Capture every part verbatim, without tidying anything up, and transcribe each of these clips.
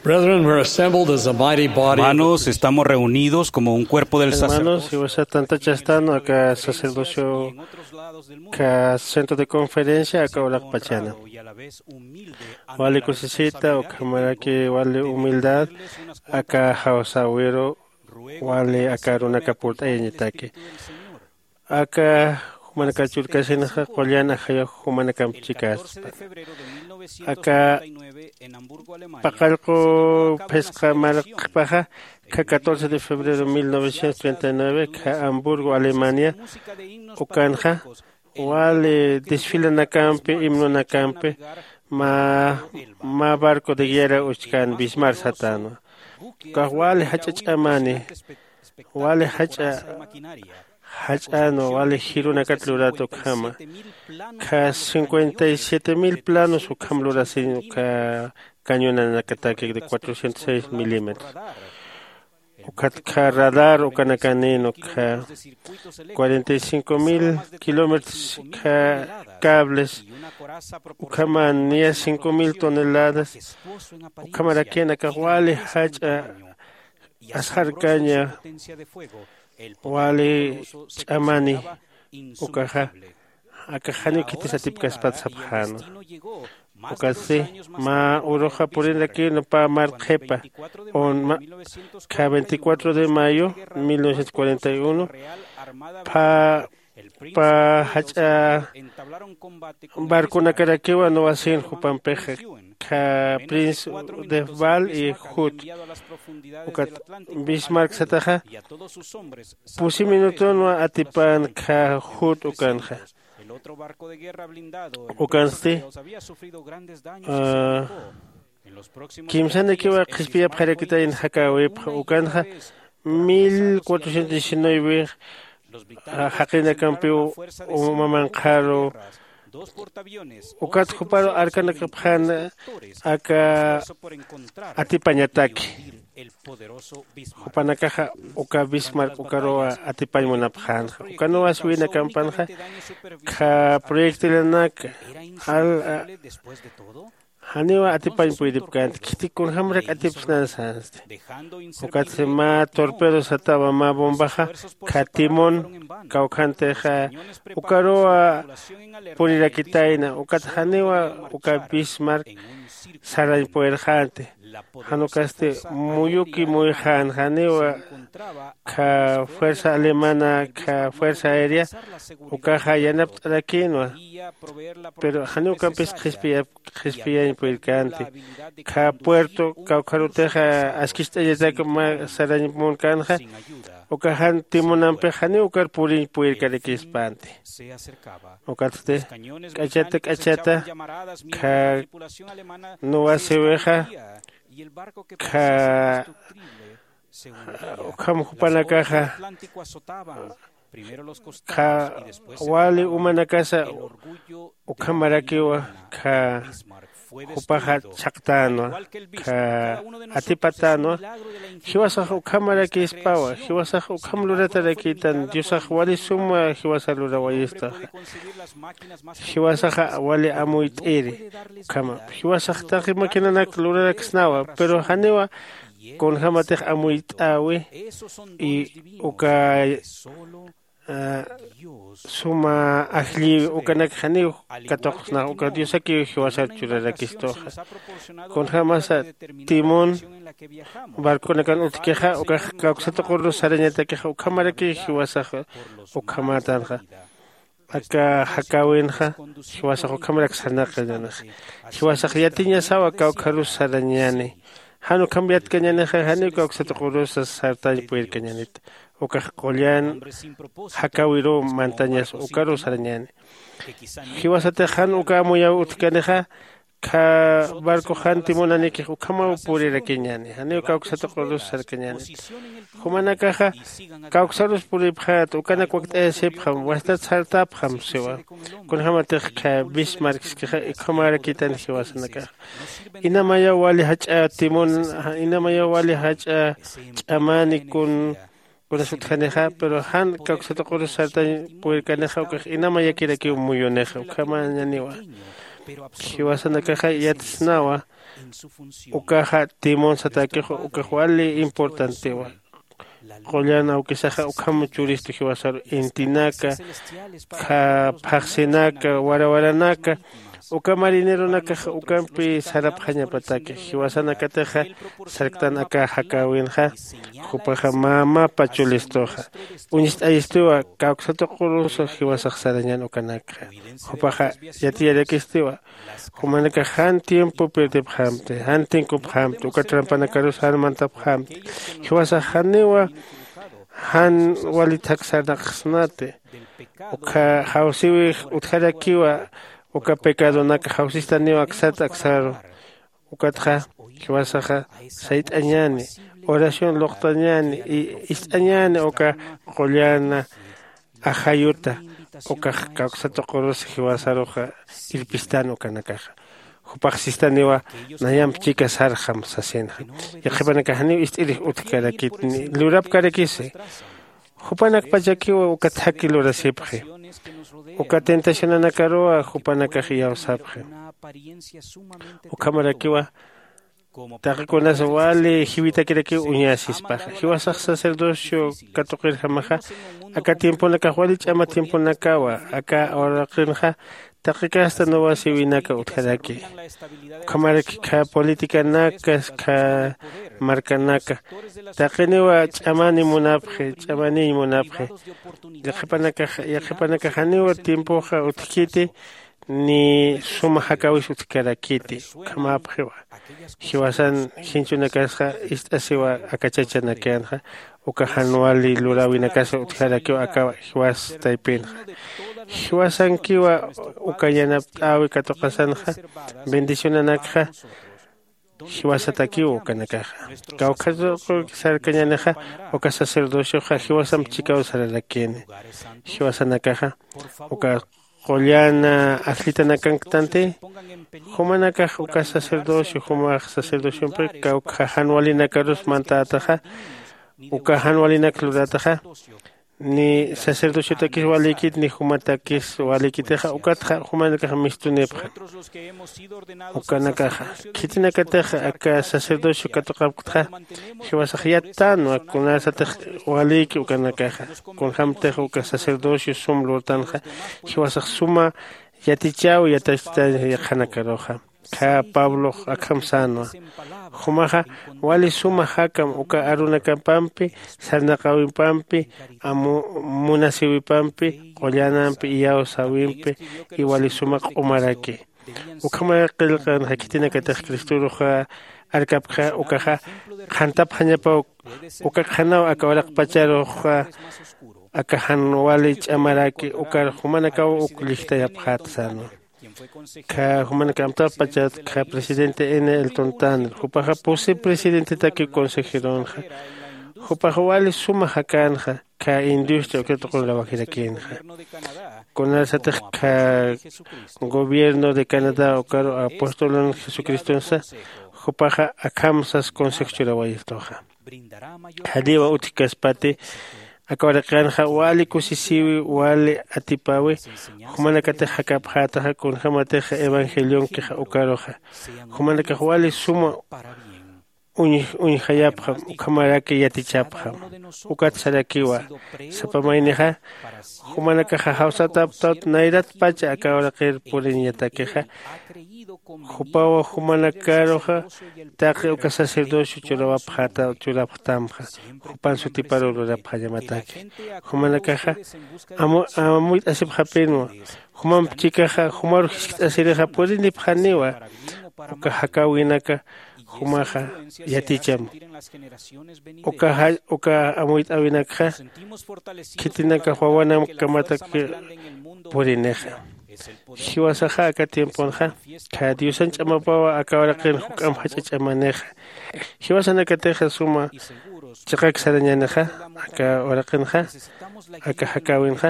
Brethren, we're assembled as a mighty body of Hermanos, estamos reunidos como un cuerpo del sacerdocio. Hermanos, jiwasa tantachastan aka sacerdocio ka centro de conferencia aka uraqpachana. Wali kusisita ukhamaraki wali humildad aka jawsäwiru wali aka arunaka purt'ayañataki. Aka jumanakar churkasinxa qullan ajayu jumanakamp chikaspa. Aka paqallqu phisqa marqpaxa kha catorce de febrero mil novecientos treinta y nueve kha Hamburgo, Alemania, ukanxa wali desfilanakampi, himnonakampi mä mä barco de guerra uchkän Bismarck satänwa. Ukax wali jach'a ch'amani, wali jach'a jach'änwa, wali jirunakat lurat ukhama. Kha cincuenta y siete mil planos ukham lurasiñ uka cañonanakataki de cuatrocientos seis milímetros. Ukat kha radar ukanakanïn ukha cuarenta y cinco mil kilómetros kha cables ukhaman niya cinco mil toneladas. Ukhamarakïn akax wali jach'a asxarkaña wali ch'amani. Ukaxa akax janiw khitis atipkaspat sapxänwa. Ukatsti mä uruxa purinrakïnwa pä marqhipa un mä kha veinticuatro de mayo mil novecientos cuarenta y uno pä pä jach'a barconakarakiwa nuwasin jupampixa kha prince de Val y Hood. Ukat Bismarck sataxa pusi minutunwa atipan kha Hood ukanxa. Ukansti kimsanikiwa qhispiyapxarakitayn jakäwipxa ukanxa mil cuatrocientos diecinueve jaqinakampiw uma manqharu. Ukat juparu arkanakapxän aka atipañataki. Jupanakaxa uka Bismarck ukaruwa atipañ munapxänxa ukanuwas winakampanxa kha proyectilanaka al janiwa atipañ puydipkänti khitik kunjämarak atipsnan sänsti. Ukatsi mä torpedo satawa mä bombaxa kha timón kawkhantixa ukaruwa purirakitayna ukat janiwa uka Bismarck sarañ puyrxänti. Jan ukasti muyuki muyxän janiwa kha fuerza alemana kha fuerza aérea ukaxa yanapt'arakïnwa. Pero janiw ukampis qhispiyañ purirkänti kha puerto kawkharutixa askicht'añatak mä sarañ munkänxa uka jan timunampix janiw ukar puriñ purirkarakïspänti. Ukatsti k'achata k'achata kha nuwasiwixa kha ukham jupanakaxa kha wali umanakasa ukhamarakiwa kha jupaxa chhaqtänwa kha atipatänwa. Jiwasax ukhamarakïspawa jiwasax ukham luratarakïtan diosax wali suma jiwasa lurawayistaxa. Jiwasaxa wali amuyt'iri ukhama jiwasax taqi maquinanak luraraksnawa pero janiwa kunjämatix amuyt'äwi y uka suma ajllïwi ukanak janiw katuqsnax uka diosakiw jiwasar churarakistuxa. Kunjämasa timón barconakan utjkixa ukax kawksatuqurus sarañatakixa ukhamarakiw jiwasax ukhamätanxa. Aka jakäwinxa jiwasax ukhamarak sarnaqañänixa. Jiwasax yatiñasawa kawkharus sarañäni. Jan ukham yatkañänixa janiw kawksatuqurusa sartañ purirkañänit. Ukax qullan jakäwiruw mantañas ukaruw sarañäni. Jiwasatix jan uka amuyaw utjkanixa kha barco jan timunanïkix ukhamaw purirakiñäni janiw kawksatuqurus sarkañänit. Jumanakaxa kawksarus puripxät ukanak wakt'ayasipxam wastat sartäpxam siwa. Kunjämatix kha bismarckskixa ukhamarakïtan jiwasanakaxa. Inamayaw wali jach'a timun inamayaw wali jach'a ch'amani kun kunas utjanixa pero jan kawksatuqurus sartañ purirkanixa ukax inamayakirakiw muyunixa ukhamañäniwa. Jiwasanakaxa yatsnawa Ukaxa timón satäkixu ukax wali importantiwa. Qullan awkisaxa ukham churistu jiwasaru intinaka, phaxsinaka, warawaranaka. Uka marineronakaxa ukampi sarapxañapataki jiwasanakatixa sarktan aka jakäwinxa. Jupaxa mä mapa chulistuxa uñst'ayistiwa kawksa tuqurus jiwasax sarañän ukanakxa. Jupaxa yatiyarakistiwa jumanakax jan tiempo pirdipxämti, jan tinkupxämti uka trampanakarus jan mantapxämti. Jiwasax janiwa jan wali thak sarnaqsnati. Ukha jawsiwix utjarakiwa uka pecadonak jawsistaniw aksat aksaru. Ukatxa jiwasaxa sayt'añäni, oración luqtañäni y ist'añäni uka qullana ajayuta. Ukax kawksa tuqurus jiwasaruxa irpistan ukanakaxa. Jupax sistaniwa nayamp chika sarxam sasinxa. Yaqhipanakax janiw ist'irix utjkarakit ni lurapkarakisi. Jupanakpachakiwa uka thaki lurasipxi. Uka tentacionanakaruwa jupanakax iyawsapxi. Ukhamarakiwa taqi kunas wali jiwitakirakiw uñäsispaxa jiwasax sacerdocio katuqirjamaxa. Aka tiemponakax wali ch'ama tiemponakawa aka uraqinxa taqi kasta nuwasiwinaka utjaraki. Ukhamaraki kha politicanaka kha markanaka taqiniwa ch'amani munapxi ch'amaniñ munapxi. Yaqhipanakax yaqhipanakax janiwa tiempoxa utjkiti ni suma jakäwis utjkarakiti. Ukhamäpxiwa jiwasan jinchunakasxa ist'asiwa aka chachanakänxa uka jan wali luräwinakasa utjarakiw aka jiwas taypinxa. Jiwasankiwa uka yanapt'äwi katuqasanxa bendicionanakxa jiwasatakiw ukanakaxa. Kawkha tuqu sarkañänixa uka sacerdocioxa jiwasamp chikaw sararakini. Jiwasanakaxa uka qullana ajllitanakanktantï jumanakax uka sacerdocio jumax sacerdociompi kawkha jan walinakarus mantätaxa. Uka jan walinak lurätaxa ni sacerdociotakis walïkit ni jumatakis walïkitixa ukatxa jumanakax mistunipxam. Ukanakaxa khitinakatix aka sacerdocio katuqapktxa jiwasax yattänwa kunasatix walïki ukanakaxa. Kunjämtix uka sacerdocio sum lurtanxa jiwasax suma yatichäwi yatachtañ yaqhanakaruxa. Khä pablox akham sänwa jumaxa wali suma jakam uka arunakapampi sarnaqäwipampi munasïwipampi qullanampi iyawsäwimpi iwali suma q'umaraki. Ukhamay qillqanxa khitinakatix cristorux arkapkxa ukaxa qhantapxañapaw. Uka qhanaw aka uraqpacharuxa aka jan wali ch'amaraki ukar jumanakaw uk llijtayapxäta sänwa. Kha jumanaka amtapachat kha presidente n elton tanner jupaxa pusi presidentetaki consejeronxa. Jupaxa wali suma jakänxa kha industria uka tuqun rawajirakïnxa. Kunasatix kha gobierno de canadá ukaru apostolun jesucristonsa jupaxa akham sas consejo churawayistuxa. Janiwa utjkaspati aka uraqinxa wali kusisïwi wali atipäwi jumanakatix jakapxätaxa kunjämatix evangelionkixa ukaruxa jumanakax wali suma uñjayapxam ukhamaraki yatichapxam. Ukat sarakiwa sapa maynixa jumanakaxa jawsataptawt nayratpacha aka uraqir puriñatakixa jupaw jumanakaruxa taqi uka sacerdocio churawapxäta churapxtamxa jupan sutiparu lurapxañamataki. Jumanakaxa amuyt'asipxapïnwa jumamp chikaxa jumaru jiskt'asirixa purinipxaniwa. Uka jakäwinaka jumaxa yaticham uka amuyt'äwinakxa khitinakax wawanamkamatak purinixa. Jiwasaxa aka tiemponxa kha diosan ch'amapawa aka uraqin juk'amp jach'a ch'amanixa. Jiwasanakatixa suma chiqak sarañänixa aka uraqinxa aka jakäwinxa.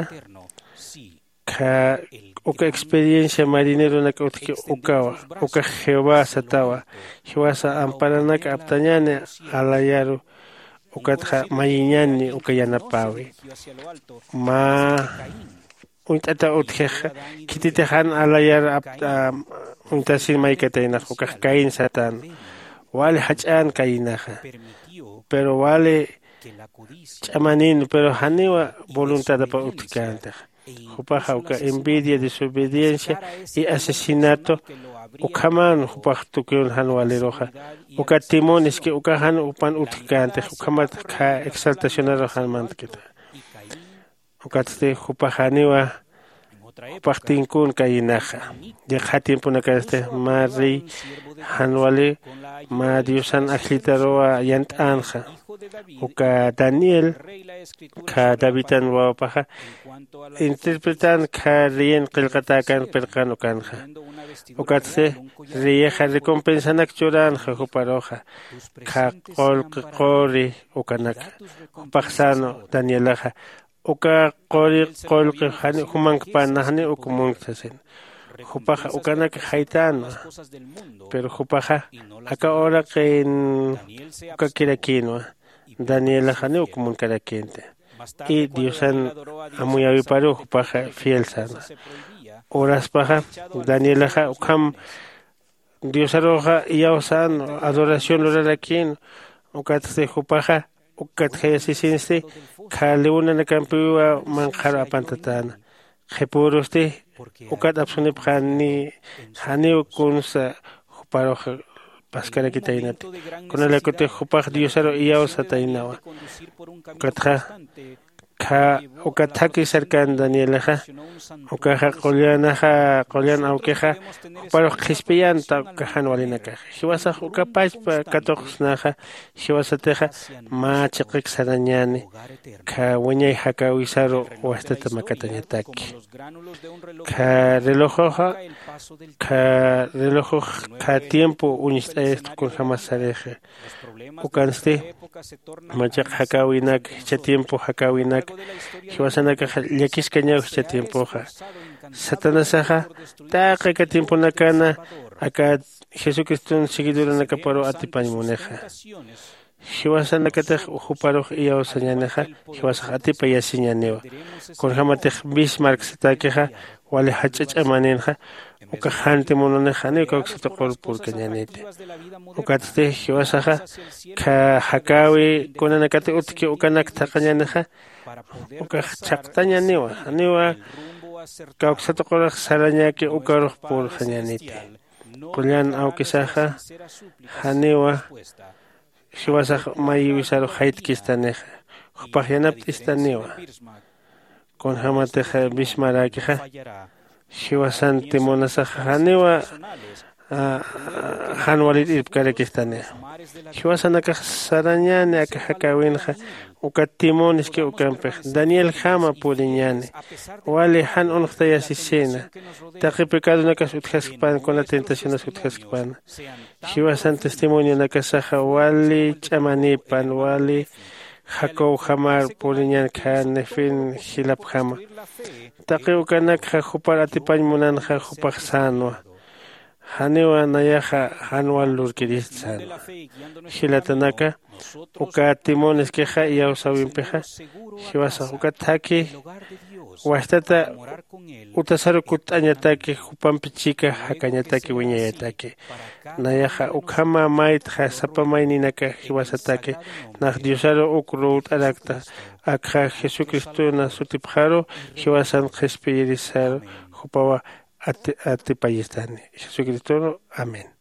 Kha uka experiencia marineronak utjki ukawa ukax jehová satawa. Jiwasa amparanak aptañäni alayaru ukatxa mayiñäni uka yanapäwi. Mä uñt'ataw utjixa khititix jan alayar apt'am Intasin maykataynax ukax kayn satän. Wali jach'än kayinaxa, pero wali ch'amanin pero janiwa voluntadapa utjkäntixa. Jupaxa uka envidia, desobediencia y asesinato ukhaman jupax tukiwn jan waliruxa. Uka timon es que uka jan jupan utjkäntixa ukhamat kha exaltacionaru jan mantkita. Ukatsti jupax janiwa jupax tinkun kayinaxa. Yaqha tiemponakansti mä rey jan wali mä diosan ajllitaruwa yant'änxa. Uka daniel kha davidan wawapaxa interpretän kha reyin qillqatäkan pirqan ukanxa. Ukatsti reyixa recompensanak churänxa juparuxa kha qullqi quri ukanakxa. Jupax sän danielaxa uka quri qullqi jani jumankpän nax janiw uk munkta sasin. Jupaxa ukanak jaytänwa. Pero jupaxa aka uraqin ukakirakïnwa. Danielax janiw uk munkarakïnti. Y diosan amuyäwiparuw jupaxa fiel sänwa. Uraspaxa danielaxa ukham diosaruxa iyawsän adoración lurarakïn. Ukatsti jupaxa ukkatjayasisinsti kha leonanakampiwa manqharu apantatäna. Qhipürusti ukat apsunipxäni janiw kunsa juparux paskarakitaynati. Kunalaykutix jupax diosaru iyawsataynawa. Ukatxa kha uka thaki sarkän danielaxa ukaxa qullanaxa qullan awkixa juparux qhispiyänta uka jan walinakaxa. Jiwasax uka pachpa katuqsnaxa jiwasatixa mä chiqik sarañäni kha wiñay jakäwisaru wajtata makatañataki. Kha relojoxa kha relojox kha tiempo uñst'ayasta kunjämas sarixa. Ukansti mä chiq jakäwinak jichha tiempo jakäwinak jiwasanakaxa llakiskañaw jichha tiempoxa. Satanasaxa taqi aka tiemponakana aka jesucriston seguidoranakaparuw atipañ munixa. Jiwasanakatix juparux iyawsañänixa jiwasax atipayasiñäniwa. Kunjämatix bismarck satäkixa wali jach'a ch'amaninxa ukax janti mununix janiw kawksa tuqur purkañäniti. Ukatsti jiwasaxa kha jakäwi kunanakati utjki ukanak thaqhañänixa ukax chhaqtañäniwa janiwa kawksa tuqurix sarañäki ukarux purxañäniti. Qullan awkisaxa janiwa jiwasax mayiwisarux jaytkistanixa jupax yanapt'istaniwa. Kunjämatix bismaräkixa jiwasanti munasaxa janiwa jan walit irpkarakistanixa. Jiwasanakax sarañäni aka jakäwinxa uka timoniski ukampix danielkjama puriñäni. Wali jan unxtayasisina taqi pecadonakas utjaskpän kuna tentacionas utjaskpäna. Jiwasan testimonionakasaxa wali ch'amanïpan wali jakawjamar puriñän kha nefin jilapjama. Taqi ukanakxa jupar atipañ munanxa jupax sänwa. Janiwa nayaxa jan wal lurkirist sänwa. Jilatanaka uka timoniskixa iyawsäwimpixa jiwasax uka thaki wajtata utasaru kutt'añataki jupampi chika jakañataki wiñayataki. Nayaxa ukhama maytxa sapa mayninaka jiwasataki nax diosaru uk ruwt'arakta. Akxa jesucristona sutipxaru jiwasan qhispiyirisaru jupawa atipayistani. Jesucristoru amén.